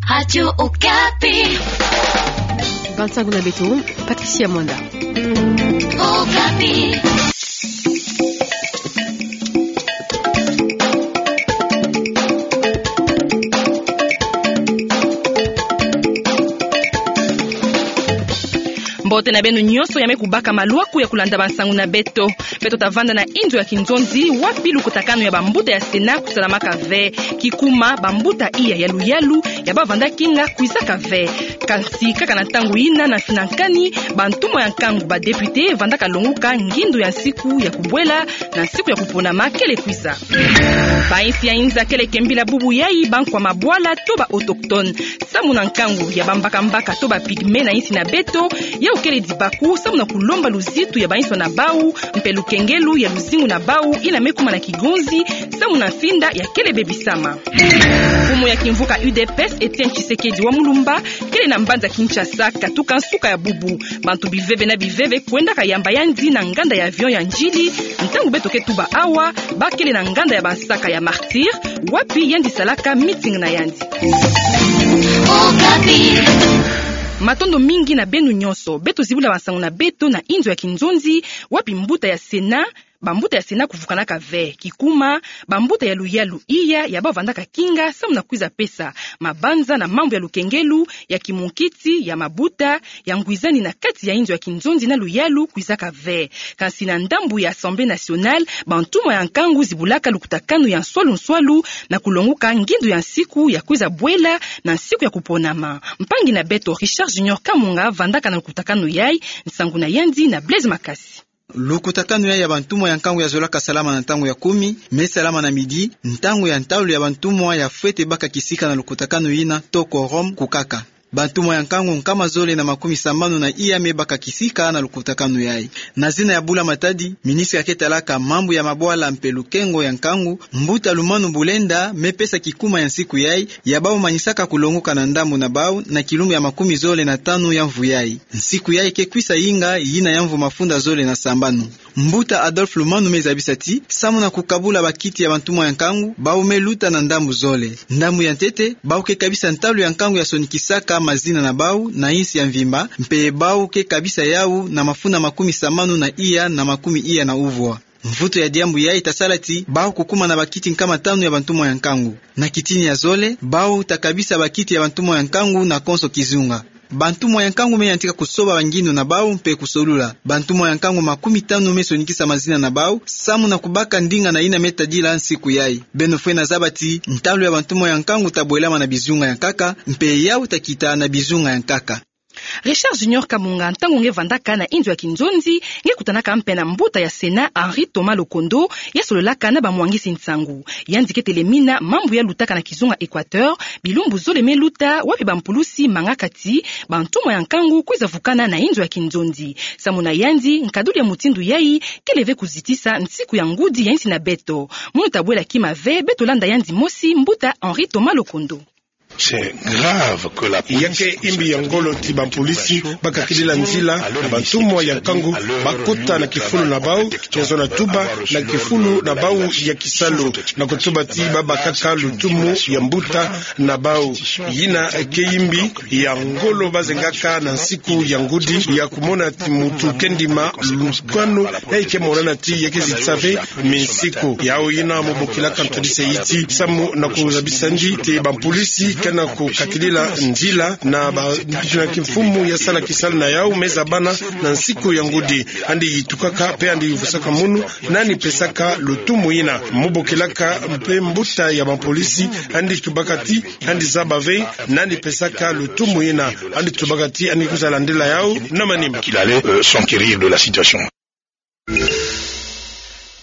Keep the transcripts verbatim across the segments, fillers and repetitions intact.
Radio Okapi. Bansangu na beto, Patricia Mwanda. Okapi. Mbote na beno nyonso ya me kubaka malwaku ya kulanda bansangu na beto. Beto tavanda na inzo ya kinzonzi, wapi lukutakanu ya bambuta ya Sénat kusalamaka ve. Kikuma, bambuta iya ya luyalu ya bavanda kinga kwizaka ve. Kansi kaka na ntangu yina, na mfinankani, bantumwa ya nkangu, ba députés, vandaka longuka ngindu ya nsiku ya kubwela na nsiku ya kuponama kele kwiza. Bayinsi ya inza kele kembila bubu yayi bankwa mabwala to ba autochtones. Samu na nkangu ya bambakambaka to ba pygmées na yinsi na beto, yawu kele dibaku samu na kulomba luzitu ya bayinswa na bawu, mpe lukengelu ya luzingu na bawu yina me kuma na kigonzi, samu na mfinda ya kele bebisama. Mfumu ya kimvuka U D P S, Étienne Tshisekedi wa Mulumba, kele na mbanza Kinshasa katuka nsuka ya bubu. Bantu biveve na biveve kwendaka yamba yandi na nganda ya avion ya Ndjili, ntangu beto ke tuba awa, ba kele na nganda ya bansaka ya Martyrs, wapi yandi salaka meeting na yandi. Matondo mingi na beno nyonso. Beto zibula bansangu na beto na inzo ya kinzonzi, wapi mbuta ya Sénat, bambuta ya Sénat kuvukanaka ve. Kikuma, bambuta ya luyalu iya ya bavandaka kinga samu na kwiza pesa mabanza na mambu ya lukengelu, ya kimunkiti, ya mabuta, ya ngwizani na kati ya inzo ya kinzonzi na luyalu kwizaka ve. Kansi na ndambu ya Assemblée nationale, bantumwa ya nkangu zibulaka lukutakanu ya nswalu nswalu na kulonguka ngindu ya nsiku ya kwiza bwela na nsiku ya kuponama. Mpangi na beto Richard Junior Kamunga vandaka na lukutakanu yayi, nsangu na yandi na Blaise Makasi. Lukutakanu yayi ya bantumwa ya nkangu ya zolaka salama na ntangu ya kumi, me salama na midi, ntangu ya ntalu ya bantumwa ya fwete baka kisika na lukutakanu yina, to quorum kukaka. Bantumwa ya nkangu nkama zole na makumi sambanu na iya me baka kisika na lukutakanu yayi. Na zina ya Bula Matadi, ministre ya ke talaka mambu ya mabwala mpe lukengo ya nkangu, mbuta Lumanu Bulenda, me pesa kikuma ya nsiku yayi, ya bawu manisaka kulonguka na ndambu na bawu, na kilumbu ya makumi zole na tanu ya mvu yayi. Nsiku yayi ke kwisa yinga, yina ya mvu mafunda zole na sambanu. Mbuta Adolphe Lumanu me zabisa ti, samu na kukabula bakiti ya bantumwa ya nkangu, bawu me luta na ndambu zole. Ndambu ya ntete, bawu ke kabisa ntalu ya nkangu ya sonikisaka mazina na bawu na yinsi ya mvimba, mpe bawu ke kabisa yawu na mafunda makumi sambanu na iya na makumi iya na uvwa. Mvutu ya diambu yayi ta sala ti, bawu kukuma na bakiti nkama tanu ya bantumwa ya nkangu. Na kitini ya zole, bawu ta kabisa bakiti ya bantumwa ya nkangu na konso kizunga. Bantumwa ya nkangu me yantika kusoba bangindu na bawu mpe kusolula. Bantumwa ya nkangu makumi tanu me sonikisa mazina na bawu, samu na kubaka ndinga na yina me tadila nsiku yayi. Beno fwene zaba ti, ntalu ya bantumwa ya nkangu ta bwelama na bizunga ya nkaka, mpe yawu ta kita na bizunga ya nkaka. Richard Junior Kamunga, ntangu nge vandaka na inzo ya kinzonzi, nge kutanaka mpe na mbuta ya Sénat Henri Thomas Lokondo, ya sololaka na bamwangisi nsangu. Yandi ke telemina mambu ya lutaka na kizunga Équateur, bilumbu zole me luta, wapi bampulusi mangaka ti bantumwa ya nkangu kwiza vukana na inzo ya kinzonzi. Samu na yandi, nkaduli ya mutindu yayi kele ve kuzitisa nsiku ya ngudi ya yinsi na beto. Munu ta bwela kima ve, beto landa yandi mosi, mbuta Henri Thomas Lokondo. C'est grave que la police... Ya ke yimbi ya ngolo ti bampolisi bakakidila nzila na bantumwa ya nkangu bakota na kifulu na bawu, ya zona tuba na kifulu na bawu ya kisalu, na kutuba ti babakaka lutumu ya mbuta na bawu. Yina ke yimbi ya ngolo bazengaka na nsiku ya ngudi, ya kumona ti mutu ke ndima lukanu, ya ke monana ti ya ke zitisa ve minsiku. Yawu yina mu bokilaka ntwadisi yiti, samu na kuzabisa ndi ti bampolisi ke na kukakidila nzila na ba, na kimfumu ya sala kisalu na yawu me zabana na nsiku ya ngudi. Yandi yitukaka mpe yandi vusaka munu nani pesaka lutumu yina. Mu bokilaka mpe mbuta ya bampolisi, yandi tubaka ti yandi zaba ve nani pesaka lutumu yina. Yandi tubaka ti yandi kwiza landila yawu na manima. Qu'il allait, euh, s'enquérir de la situation.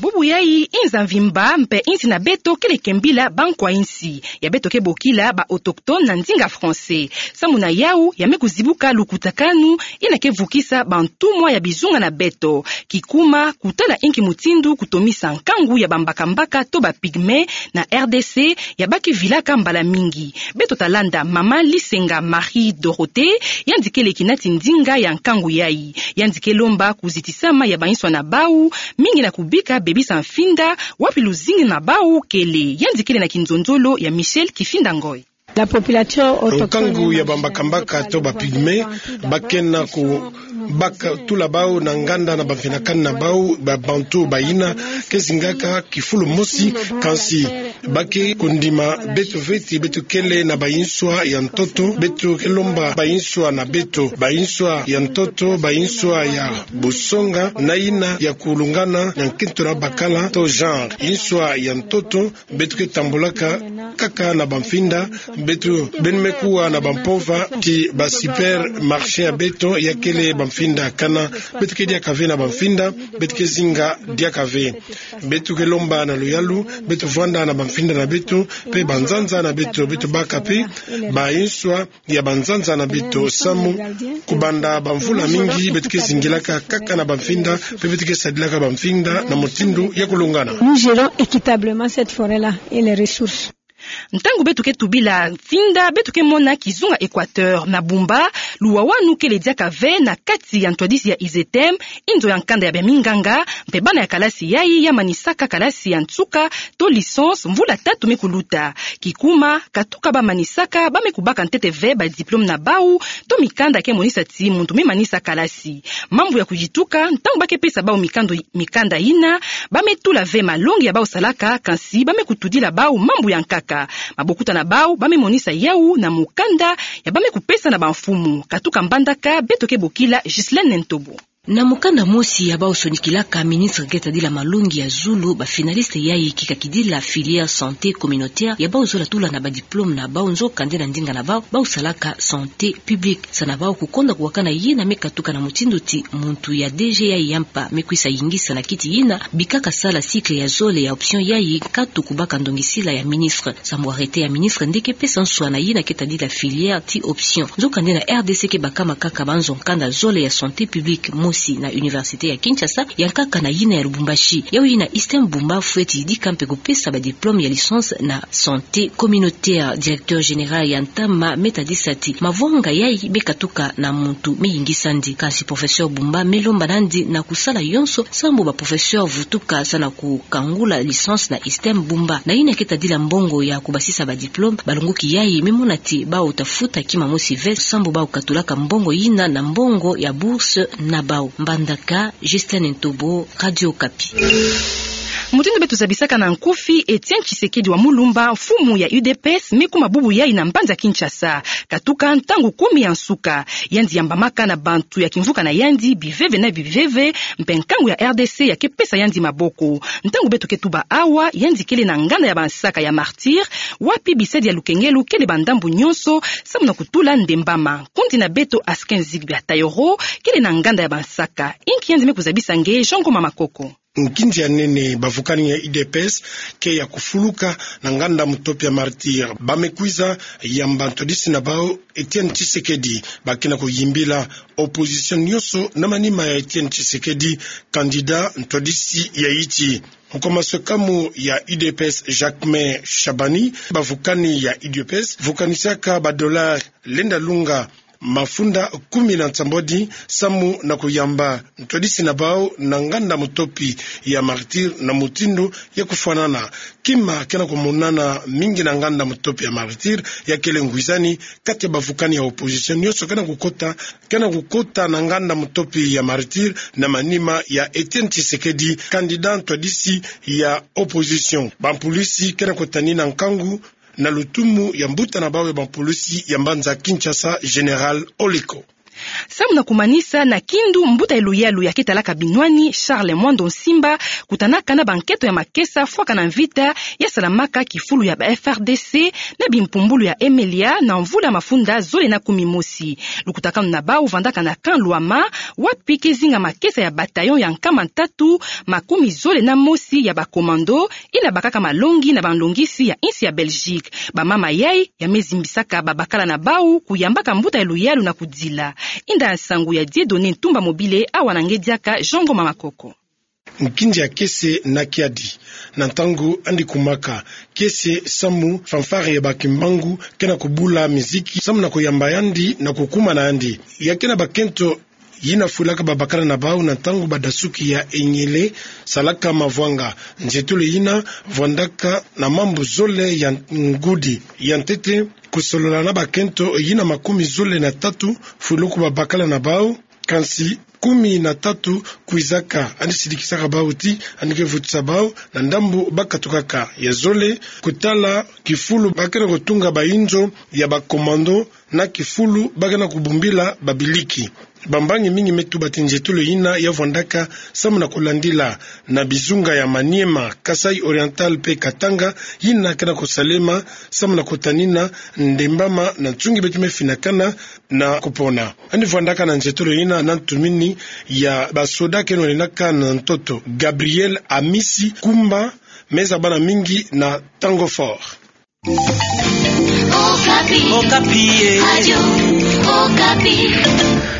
Bubu yayi, inza mvimba mpe yinsi na beto kele kembila bankwa-yinsi, ya beto ke bokila ba autochtones na ndinga français. Samu na yawu, ya me kuzibuka lukutakanu yina ke vukisa bantumwa ya bizunga na beto. Kikuma, kutala inki mutindu kutomisa nkangu ya bambakambaka to ba pygmées na R D C, ya ba ke vilaka mbala mingi. Beto ta landa mama Lisenga Marie Dorothée, yandi kele kinati ndinga ya nkangu yayi. Yandi ke lomba kuzitisama ya bayinswa na bawu, mingi na kubika bebisa mfinda, wapi luzingu na bawu kele. Yandi kele na kinzonzolo ya Michel Kifinda Ngoy. Nkangu ya bambakambaka to ba pygmées, ba ke na ku baka tula bau na nganda na bamfina kani na bau, ba Bantous bayina, ke zingaka kifulu mosi, kansi ba ke kundima beto ve ti beto kele na ba inswa ya ntoto, beto ke lomba ba inswa na beto, ba inswa ya ntoto, ba inswa ya busonga, na yina ya kulungana na nkento na bakala to genre. Inswa ya ntoto, beto ke tambulaka kaka na bamfinda, beto beno me kuwa na bampova ti ba supermarché ya beto ya kele bamfinda kana, beto ke diaka ve na bamfinda, beto ke zinga diaka ve. Beto ke lomba na luyalu, beto vwanda na bamfinda na beto, pe banzanza na beto, beto baka pe ba inswa ya banzanza na beto samu, kubanda bamvula mingi beto ke zingilaka kaka na bamfinda, pe beto ke sadilaka bamfinda na mutindu ya kulungana. Nous gérons équitablement cette forêt-là et les ressources. Ntangu beto ke tubila mfinda, beto ke mona kizunga Équateur na Bumba, luwawanu kele diaka ve na kati ya ntwadisi ya ISETEM, inzo ya nkanda ya baminganga, mpe bana ya kalasi yayi ya manisaka kalasi ya nsuka to licence mvula tatu me kuluta. Kikuma, katuka ba manisaka, ba me kubaka ntete ve ba diplôme na bau, to mikanda ke monisa ti muntu me manisa kalasi. Mambu ya kuyituka, ntangu ba ke pesa bau mikando, mikanda yina, ba me tula ve malongi ya bau salaka, kansi ba me kutudila bau mambu ya nkaka. Mabokuta na bau, ba me monisa yau na mukanda ya ba me kupesa na bamfumu. Katuka Mbandaka, beto ke bokila Ghislaine Ntobo. Na mukanda mosi ya bau sonikilaka, ministre ke tadila malongi ya zulu, ba finalistes yayi ke kakidila filière santé communautaire, ya bau zola tula na ba diplôme na bau, nzokande na ndinga na bau, bau salaka santé publique. Sa na bau kukonda kuwakana yina me katuka na mutindu ti muntu ya D G yayi ya mpa me kwisa yingisa na kiti yina, bikaka sala cycle ya zole ya option yayi, nkatu kubaka ndongisila ya ministre. Samu arrêté ya ministre nde ke pesa nswa na yina ke tadila filière ti option. Nzokande na R D C ke bakama kaka banzo nkanda zole ya santé publique, mosi na université ya Kinshasa, ya nkaka na yina ya Lubumbashi. Yau yina ISETEM Bumba fweti yidika mpe kupesa ba diplôme ya licence na santé communautaire. Directeur général ya ntama me tadisa ti mavwanga yayi me katuka na muntu me yingisa ndi. Kansi professeur Bumba me lomba nandi na kusala yonso sambu ba professeurs vutuka sa na kukangula licence na ISETEM Bumba. Na yina ke tadila mbongo ya kubasisa ba diplôme, balongoki yayi me mona ti bau ta futa kima mosi ve sambu bau katulaka mbongo yina na mbongo ya bourse na bau. Mbandaka, Ghislaine Ntobo, Radio Okapi. Mutindu beto zabisaka na nkufi, Etienne Tshisekedi wa Mulumba, mfumu ya U D P S, me kuma bubu yayi na mbanza Kinshasa. Katuka ntangu kumi ya nsuka. Yandi yambamaka na bantu ya kimvuka na yandi biveve na biveve, mpe nkangu ya R D C ya ke pesa yandi maboko. Ntangu beto ke tuba awa, yandi kele na nganda ya bansaka ya Martyrs, wapi bisadi ya lukengelo kele ba ndambu nyonso, samu na kutula ndembama. Nkundi na beto Askin Zigbia Tayoro kele na nganda ya bansaka. Inki yandi me kuzabisa nge, Jean Ngoma Makoko. Nkinzi ya nene, bavukani ya U D P S ke ya kufuluka na nganda mutopi ya Martyrs. Ba me kwiza yamba ntwadisi na bau Etienne Tshisekedi. Ba ke na kuyimbila opposition nyonso na manima ya Etienne Tshisekedi, candidat ntwadisi ya iti. Nkoma swekamu ya U D P S Jacquemain Shabani, bavukani ya U D P S vukanisaka ba dollars lenda lunga mafunda kumi na nsambwadi samu na kuyamba ntwadisi na bau na nganda mutopi ya Martyrs na mutindu ya kufwanana. Kima ke na kumonana mingi na nganda mutopi ya Martyrs ya kele ngwizani kati ya bavukani ya opposition nyonso ke na kukota, ke na kukota na nganda mutopi ya Martyrs na manima ya Etienne Tshisekedi, candidat ntwadisi ya opposition. Bampulisi ke na kutani na nkangu na lutumu ya mbuta na bau ya bampulisi ya mbanza Kinshasa, Général Oleko. Samu na kumanisa na kindu, mbuta ya luyalu ya ke talaka binwani, Charles Mwando Nsimba, kutanaka na banketo ya makesa fwaka na mvita ya salamaka kifulu ya ba F A R D C na bimpumbulu ya Emelia na mvula mafunda zole na kumi mosi. Lukutakanu na bau vandaka na camp Lwama, wapi ke zinga makesa ya bataillon ya nkama ntatu makumi zole na mosi ya ba commando, ina bakaka malongi na banlongisi ya insi ya Belgique. Bamama yayi ya me zimbisaka babakala na bau kuyambaka mbuta ya luyalu na kudila. Inda nsangu ya Dieudonné Ntumba Mobile, awa na nge diaka Jean Ngoma Makoko. Nkinzi ya kese na kiadi, na ntangu andi kumaka kese samu fanfare ya ba Kimbangu ke na kubula miziki samu na kuyamba yandi na kukuma na yandi. Ya ke na bakento yina fwilaka babakala na bau na ntangu badasuki ya enyele salaka mavwanga. Nzietolo yina vwandaka na mambu zole ya ngudi. Ya ntete, kusolola na bakento yina makumi zole na tatu, fulu ku babakala na bau, kansi kumi na tatu kwizaka, yandi sidikisaka bau ti yandi ke vutisa bau na ndambu bakatukaka. Ya zole, kutala kifulu ba ke na kutunga bainzo ya ba commando, na kifulu ba ke na kubumbila babiliki. Bambangi mingi me tuba ti nzietolo yina ya vwandaka samu na kulandila na bizunga ya Maniema, Kasaï Oriental mpe Katanga, yina ke na kusalema samu na kutanina ndembama na nsungi beto me finakana na kupona. Yandi vwandaka na nzietolo yina na ntumini ya basoda ke na kulenaka na ntoto. Gabriel Amisi Kumba, me zabana mingi na Tango Fort. Okapi. Okapi, eh. Radio Okapi.